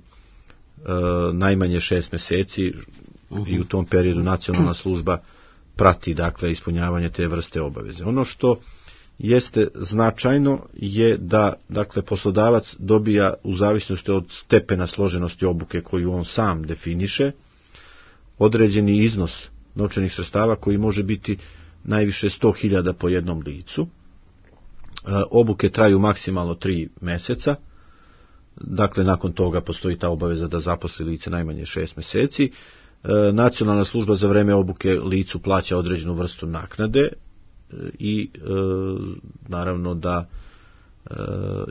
najmanje šest mjeseci i u tom periodu nacionalna služba prati, dakle, ispunjavanje te vrste obaveze. Ono što jeste značajno je da, dakle, poslodavac dobija u zavisnosti od stepena složenosti obuke koju on sam definiše određeni iznos novčanih sredstava koji može biti najviše sto hiljada po jednom licu. Obuke traju maksimalno tri mjeseca. Dakle, nakon toga postoji ta obaveza da zaposli lice najmanje šest mjeseci. Nacionalna služba za vreme obuke licu plaća određenu vrstu naknade i e, naravno da e,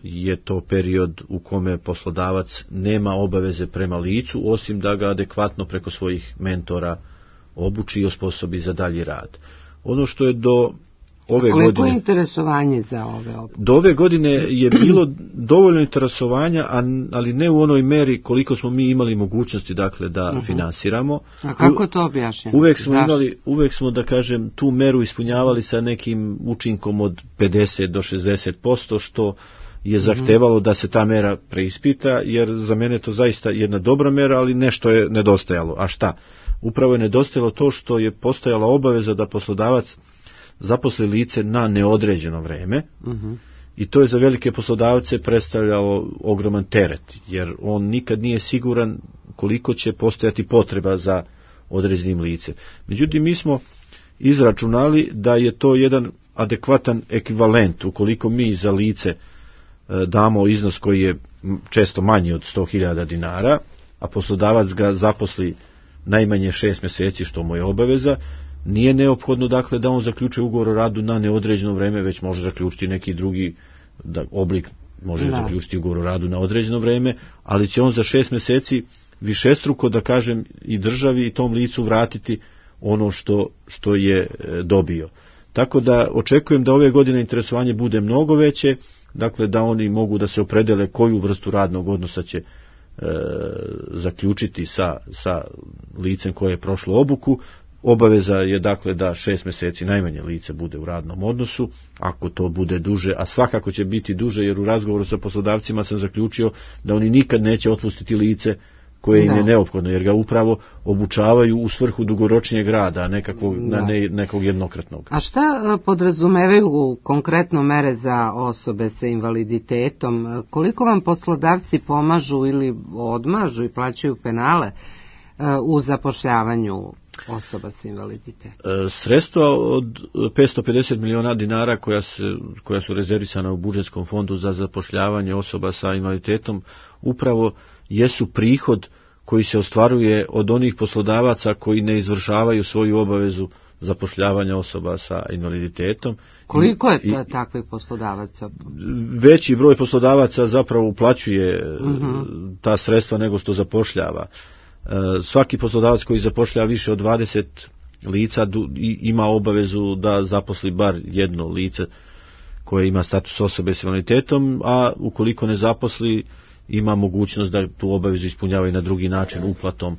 je to period u kome poslodavac nema obaveze prema licu, osim da ga adekvatno preko svojih mentora obuči i osposobi za dalji rad. Ono što je do ove koliko godine... je interesovanje za ove obuke? Do ove godine je bilo dovoljno interesovanja, ali ne u onoj meri koliko smo mi imali mogućnosti, dakle, da uh-huh. finansiramo. A kako to objašnjamo? Uvek smo Zašto? imali, uvek smo, da kažem, tu meru ispunjavali sa nekim učinkom od pedeset do šezdeset posto, što je zahtevalo da se ta mera preispita, jer za mene je to zaista jedna dobra mera, ali nešto je nedostajalo. A šta? Upravo je nedostajalo to što je postojala obaveza da poslodavac zaposli lice na neodređeno vreme, uh-huh. i to je za velike poslodavce predstavljalo ogroman teret, jer on nikad nije siguran koliko će postojati potreba za određenim licem. Međutim, mi smo izračunali da je to jedan adekvatan ekvivalent, ukoliko mi za lice damo iznos koji je često manji od sto hiljada dinara, a poslodavac ga zaposli najmanje šest mjeseci, što mu je obaveza, nije neophodno, dakle, da on zaključuje ugovor o radu na neodređeno vreme, već može zaključiti neki drugi da, oblik, može da. zaključiti ugovor o radu na određeno vreme, ali će on za šest mjeseci višestruko, da kažem, i državi i tom licu vratiti ono što, što je dobio. Tako da očekujem da ove godine interesovanje bude mnogo veće, dakle, da oni mogu da se opredele koju vrstu radnog odnosa će e, zaključiti sa, sa licem koje je prošlo obuku. Obaveza je, dakle, da šest mjeseci najmanje lice bude u radnom odnosu, ako to bude duže, a svakako će biti duže, jer u razgovoru sa poslodavcima sam zaključio da oni nikad neće otpustiti lice koje im da. je neophodno, jer ga upravo obučavaju u svrhu dugoročnijeg rada, a nekakvog, na ne, nekog jednokratnog. A šta podrazumevaju konkretno mere za osobe sa invaliditetom? Koliko vam poslodavci pomažu ili odmažu i plaćaju penale u zapošljavanju osoba sa invaliditetom? Sredstva od petsto pedeset miliona dinara koja, se, koja su rezervisana u budžetskom fondu za zapošljavanje osoba sa invaliditetom upravo jesu prihod koji se ostvaruje od onih poslodavaca koji ne izvršavaju svoju obavezu zapošljavanja osoba sa invaliditetom. Koliko je ta, takvih poslodavaca? Veći broj poslodavaca zapravo uplaćuje uh-huh. ta sredstva nego što zapošljava. Svaki poslodavac koji zapošljava više od dvadeset lica ima obavezu da zaposli bar jedno lice koje ima status osobe s invaliditetom, a ukoliko ne zaposli, ima mogućnost da tu obavezu ispunjava i na drugi način, uplatom uh,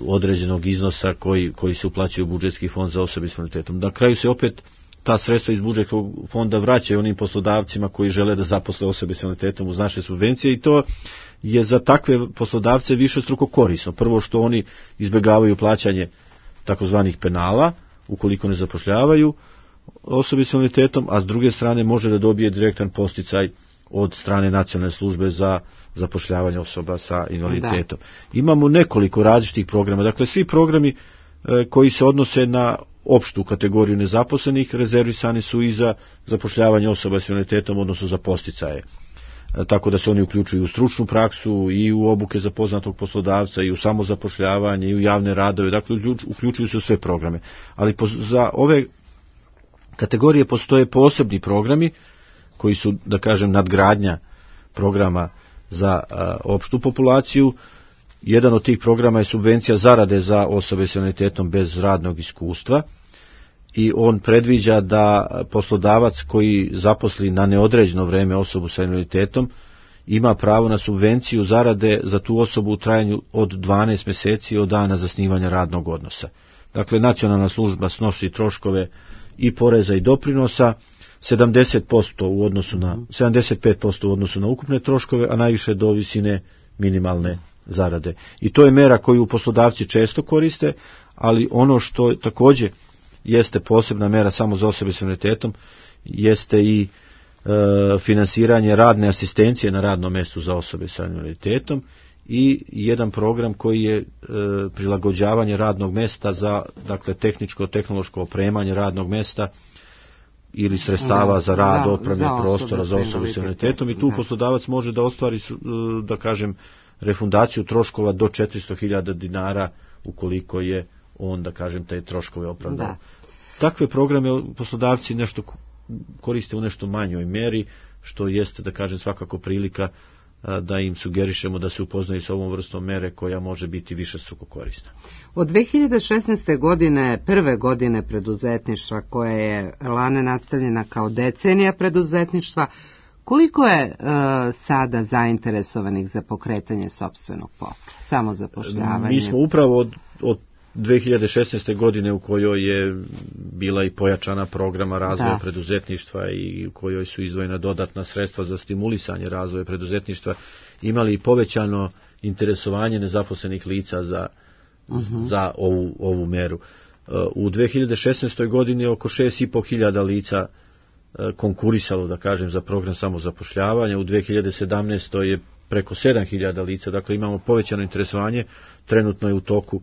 određenog iznosa koji, koji se uplaćuje u budžetski fond za osobe s invaliditetom. Na kraju se opet ta sredstva iz budžetskog fonda vraćaju onim poslodavcima koji žele da zaposle osobe s invaliditetom uz naše subvencije i to je za takve poslodavce više struko korisno. Prvo što oni izbjegavaju plaćanje takozvanih penala ukoliko ne zapošljavaju osobe s invaliditetom, a s druge strane može da dobije direktan posticaj od strane nacionalne službe za zapošljavanje osoba sa invaliditetom. Da. Imamo nekoliko različitih programa, dakle svi programi e, koji se odnose na opštu kategoriju nezaposlenih rezervisani su i za zapošljavanje osoba s invaliditetom, odnosno za posticaje. E, tako da se oni uključuju u stručnu praksu i u obuke za poznatog poslodavca i u samozapošljavanje i u javne radove, dakle uključuju se u sve programe. Ali po, za ove kategorije postoje posebni programi koji su, da kažem, nadgradnja programa za a, opštu populaciju. Jedan od tih programa je subvencija zarade za osobe s invaliditetom bez radnog iskustva i on predviđa da poslodavac koji zaposli na neodređeno vreme osobu sa invaliditetom ima pravo na subvenciju zarade za tu osobu u trajanju od dvanaest mjeseci od dana zasnivanja radnog odnosa. Dakle, nacionalna služba snosi troškove i poreza i doprinosa, sedamdeset posto u odnosu na sedamdeset pet posto u odnosu na ukupne troškove, a najviše do visine minimalne zarade. I to je mera koju poslodavci često koriste, ali ono što također jeste posebna mera samo za osobe s invaliditetom jeste i e, finansiranje radne asistencije na radnom mjestu za osobe sa invaliditetom i jedan program koji je e, prilagođavanje radnog mjesta za, dakle, tehničko-tehnološko opremanje radnog mjesta ili sredstava da, za rad, opreme, prostora za osobe s invaliditetom i tu da. Poslodavac može da ostvari, da kažem, refundaciju troškova do četiristo hiljada dinara ukoliko je on, da kažem, te troškove opravdao. Da. Takve programe poslodavci nešto koriste u nešto manjoj meri, što jeste, da kažem, svakako prilika da im sugerišemo da se upoznaju sa ovom vrstom mere koja može biti višestruko korisna. Od dve hiljade šesnaeste. godine, prve godine preduzetništva koja je lane nastavljena kao decenija preduzetništva, koliko je e, sada zainteresovanih za pokretanje sopstvenog posla, samozapošljavanje? Mi smo upravo od, od dve hiljade šesnaeste. godine u kojoj je bila i pojačana programa razvoja da. preduzetništva i u kojoj su izdvojena dodatna sredstva za stimulisanje razvoja preduzetništva, imali i povećano interesovanje nezaposlenih lica za, uh-huh. za ovu, ovu meru. U dve hiljade šesnaestoj. godini oko šest i po hiljada lica konkurisalo, da kažem, za program samozapošljavanja. U dve hiljade sedamnaestoj. je preko sedam hiljada lica, dakle imamo povećano interesovanje, trenutno je u toku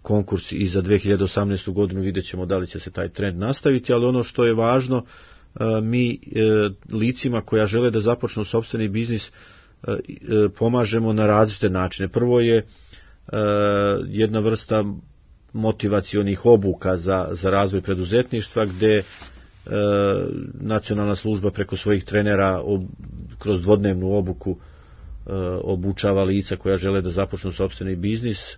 konkurs i za dve hiljade osamnaestu. godinu, vidjet ćemo da li će se taj trend nastaviti, ali ono što je važno, mi licima koja žele da započnu sopstveni biznis pomažemo na različite načine. Prvo je jedna vrsta motivacionih obuka za, za razvoj preduzetništva, gde nacionalna služba preko svojih trenera ob, kroz dvodnevnu obuku obučava lica koja žele da započnu sopstveni biznis,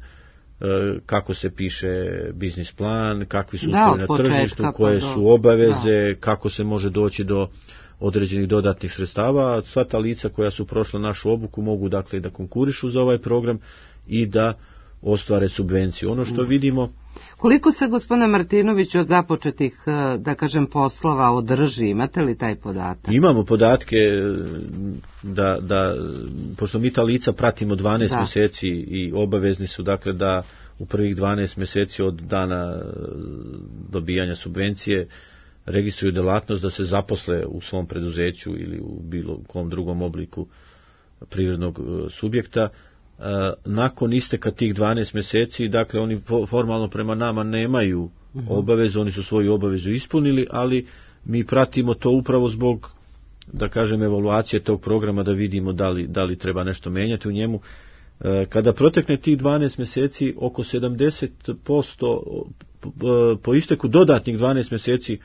kako se piše biznis plan, kakvi su uslovi na tržištu, koje su obaveze, da. kako se može doći do određenih dodatnih sredstava. Sva ta lica koja su prošla našu obuku mogu, dakle, da konkurišu za ovaj program i da ostvare subvenciju. Ono što vidimo... Koliko se, gospodine Martinović, od započetih, da kažem, poslova održi? Imate li taj podatak? Imamo podatke da, da pošto mi ta lica pratimo dvanaest da. mjeseci i obavezni su, dakle, da u prvih dvanaest mjeseci od dana dobijanja subvencije registruju delatnost, da se zaposle u svom preduzeću ili u bilo kom drugom obliku privrednog subjekta. Nakon isteka tih dvanaest mjeseci, dakle, oni formalno prema nama nemaju obavezu, oni su svoju obavezu ispunili, ali mi pratimo to upravo zbog, da kažem, evaluacije tog programa, da vidimo da li, da li treba nešto menjati u njemu. Kada protekne tih dvanaest mjeseci, oko sedamdeset posto po isteku dodatnih dvanaest mjeseci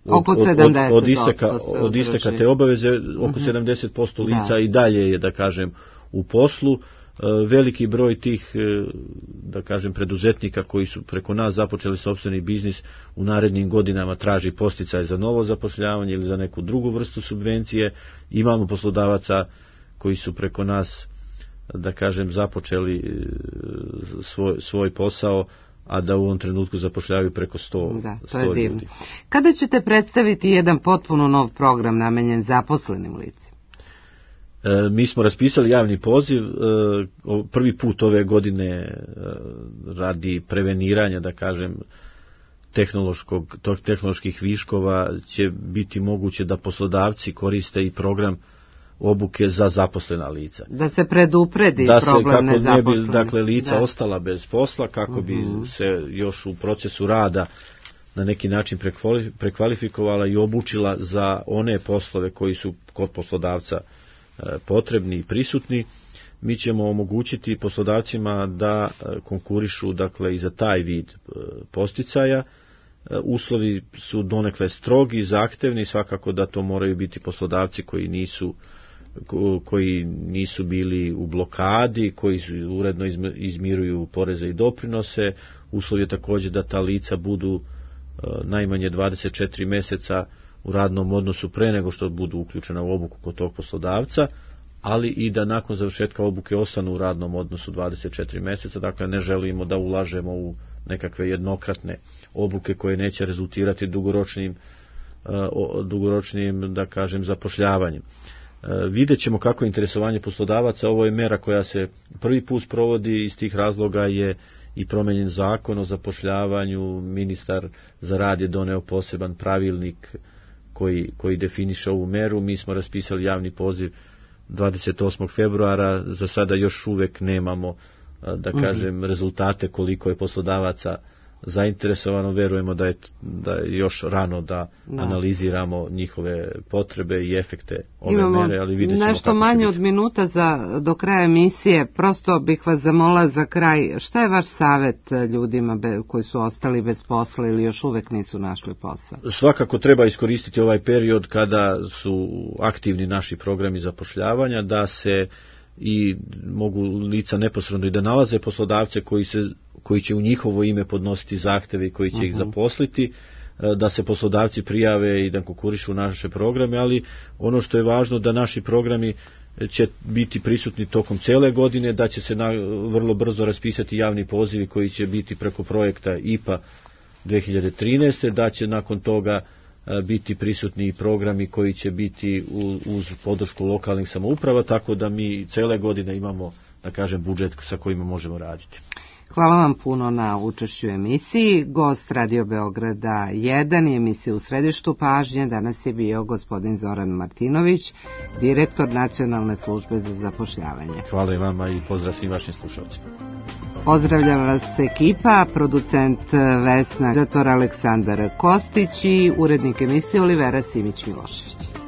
od, od, od, od isteka, od isteka te obaveze, oko uh-huh. sedamdeset posto lica da. i dalje je, da kažem, u poslu. Veliki broj tih, da kažem, preduzetnika koji su preko nas započeli sopstveni biznis u narednim godinama traži posticaj za novo zapošljavanje ili za neku drugu vrstu subvencije. Imamo poslodavaca koji su preko nas, da kažem, započeli svoj, svoj posao, a da u ovom trenutku zapošljavaju preko sto, da, to sto je divno. ljudi. Kada ćete predstaviti jedan potpuno nov program namenjen zaposlenim licima? E, mi smo raspisali javni poziv, e, prvi put ove godine e, radi preveniranja, da kažem, tehnološkog, tehnoloških viškova će biti moguće da poslodavci koriste i program obuke za zaposlena lica. Da se predupredi da se, problem kako ne bi, nezaposlenih. dakle, lica da. ostala bez posla, kako uh-huh. bi se još u procesu rada na neki način prekvalifikovala i obučila za one poslove koji su kod poslodavca e, potrebni i prisutni. Mi ćemo omogućiti poslodavcima da konkurišu, dakle, i za taj vid posticaja. Uslovi su donekle strogi, zahtevni, svakako da to moraju biti poslodavci koji nisu koji nisu bili u blokadi, koji su uredno izmiruju poreze i doprinose. Uslov je također da ta lica budu najmanje dvadeset četiri mjeseca u radnom odnosu pre nego što budu uključena u obuku kod tog poslodavca, ali i da nakon završetka obuke ostanu u radnom odnosu dvadeset četiri mjeseca. Dakle, ne želimo da ulažemo u nekakve jednokratne obuke koje neće rezultirati dugoročnim, dugoročnim, da kažem, zapošljavanjem. Vidjet ćemo kako je interesovanje poslodavaca. Ovo je mera koja se prvi put provodi, iz tih razloga je i promenjen zakon o zapošljavanju. Ministar za rad je doneo poseban pravilnik koji, koji definiše ovu meru. Mi smo raspisali javni poziv dvadeset osmog februara, za sada još uvek nemamo, da kažem, mm-hmm. rezultate koliko je poslodavaca zainteresovano. Verujemo da je, da je još rano da, da analiziramo njihove potrebe i efekte ove Imamo mere, ali vidjet ćemo nešto manje od minuta za, do kraja emisije. Prosto bih vas zamolila za kraj, šta je vaš savjet ljudima be, koji su ostali bez posla ili još uvek nisu našli posao? Svakako treba iskoristiti ovaj period kada su aktivni naši programi zapošljavanja, da se i mogu lica neposredno i da nalaze poslodavce koji, se, koji će u njihovo ime podnositi zahteve i koji će uh-huh. ih zaposliti, da se poslodavci prijave i da konkurišu naše programe, ali ono što je važno da naši programi će biti prisutni tokom cele godine, da će se na, vrlo brzo raspisati javni pozivi koji će biti preko projekta I P A dve hiljade trinaeste, da će nakon toga biti prisutni i programi koji će biti uz podršku lokalnih samouprava, tako da mi cele godine imamo, da kažem, budžet sa kojima možemo raditi. Hvala vam puno na učešću u emisiji. Gost Radio Beograda jedan i emisije U središtu pažnje danas je bio gospodin Zoran Martinović, direktor Nacionalne službe za zapošljavanje. Hvala i vama i pozdrav svim vašim slušalcima. Pozdravljam vas ekipa, producent Vesna, redaktor Aleksandar Kostić i urednik emisije Olivera Simić-Milošević.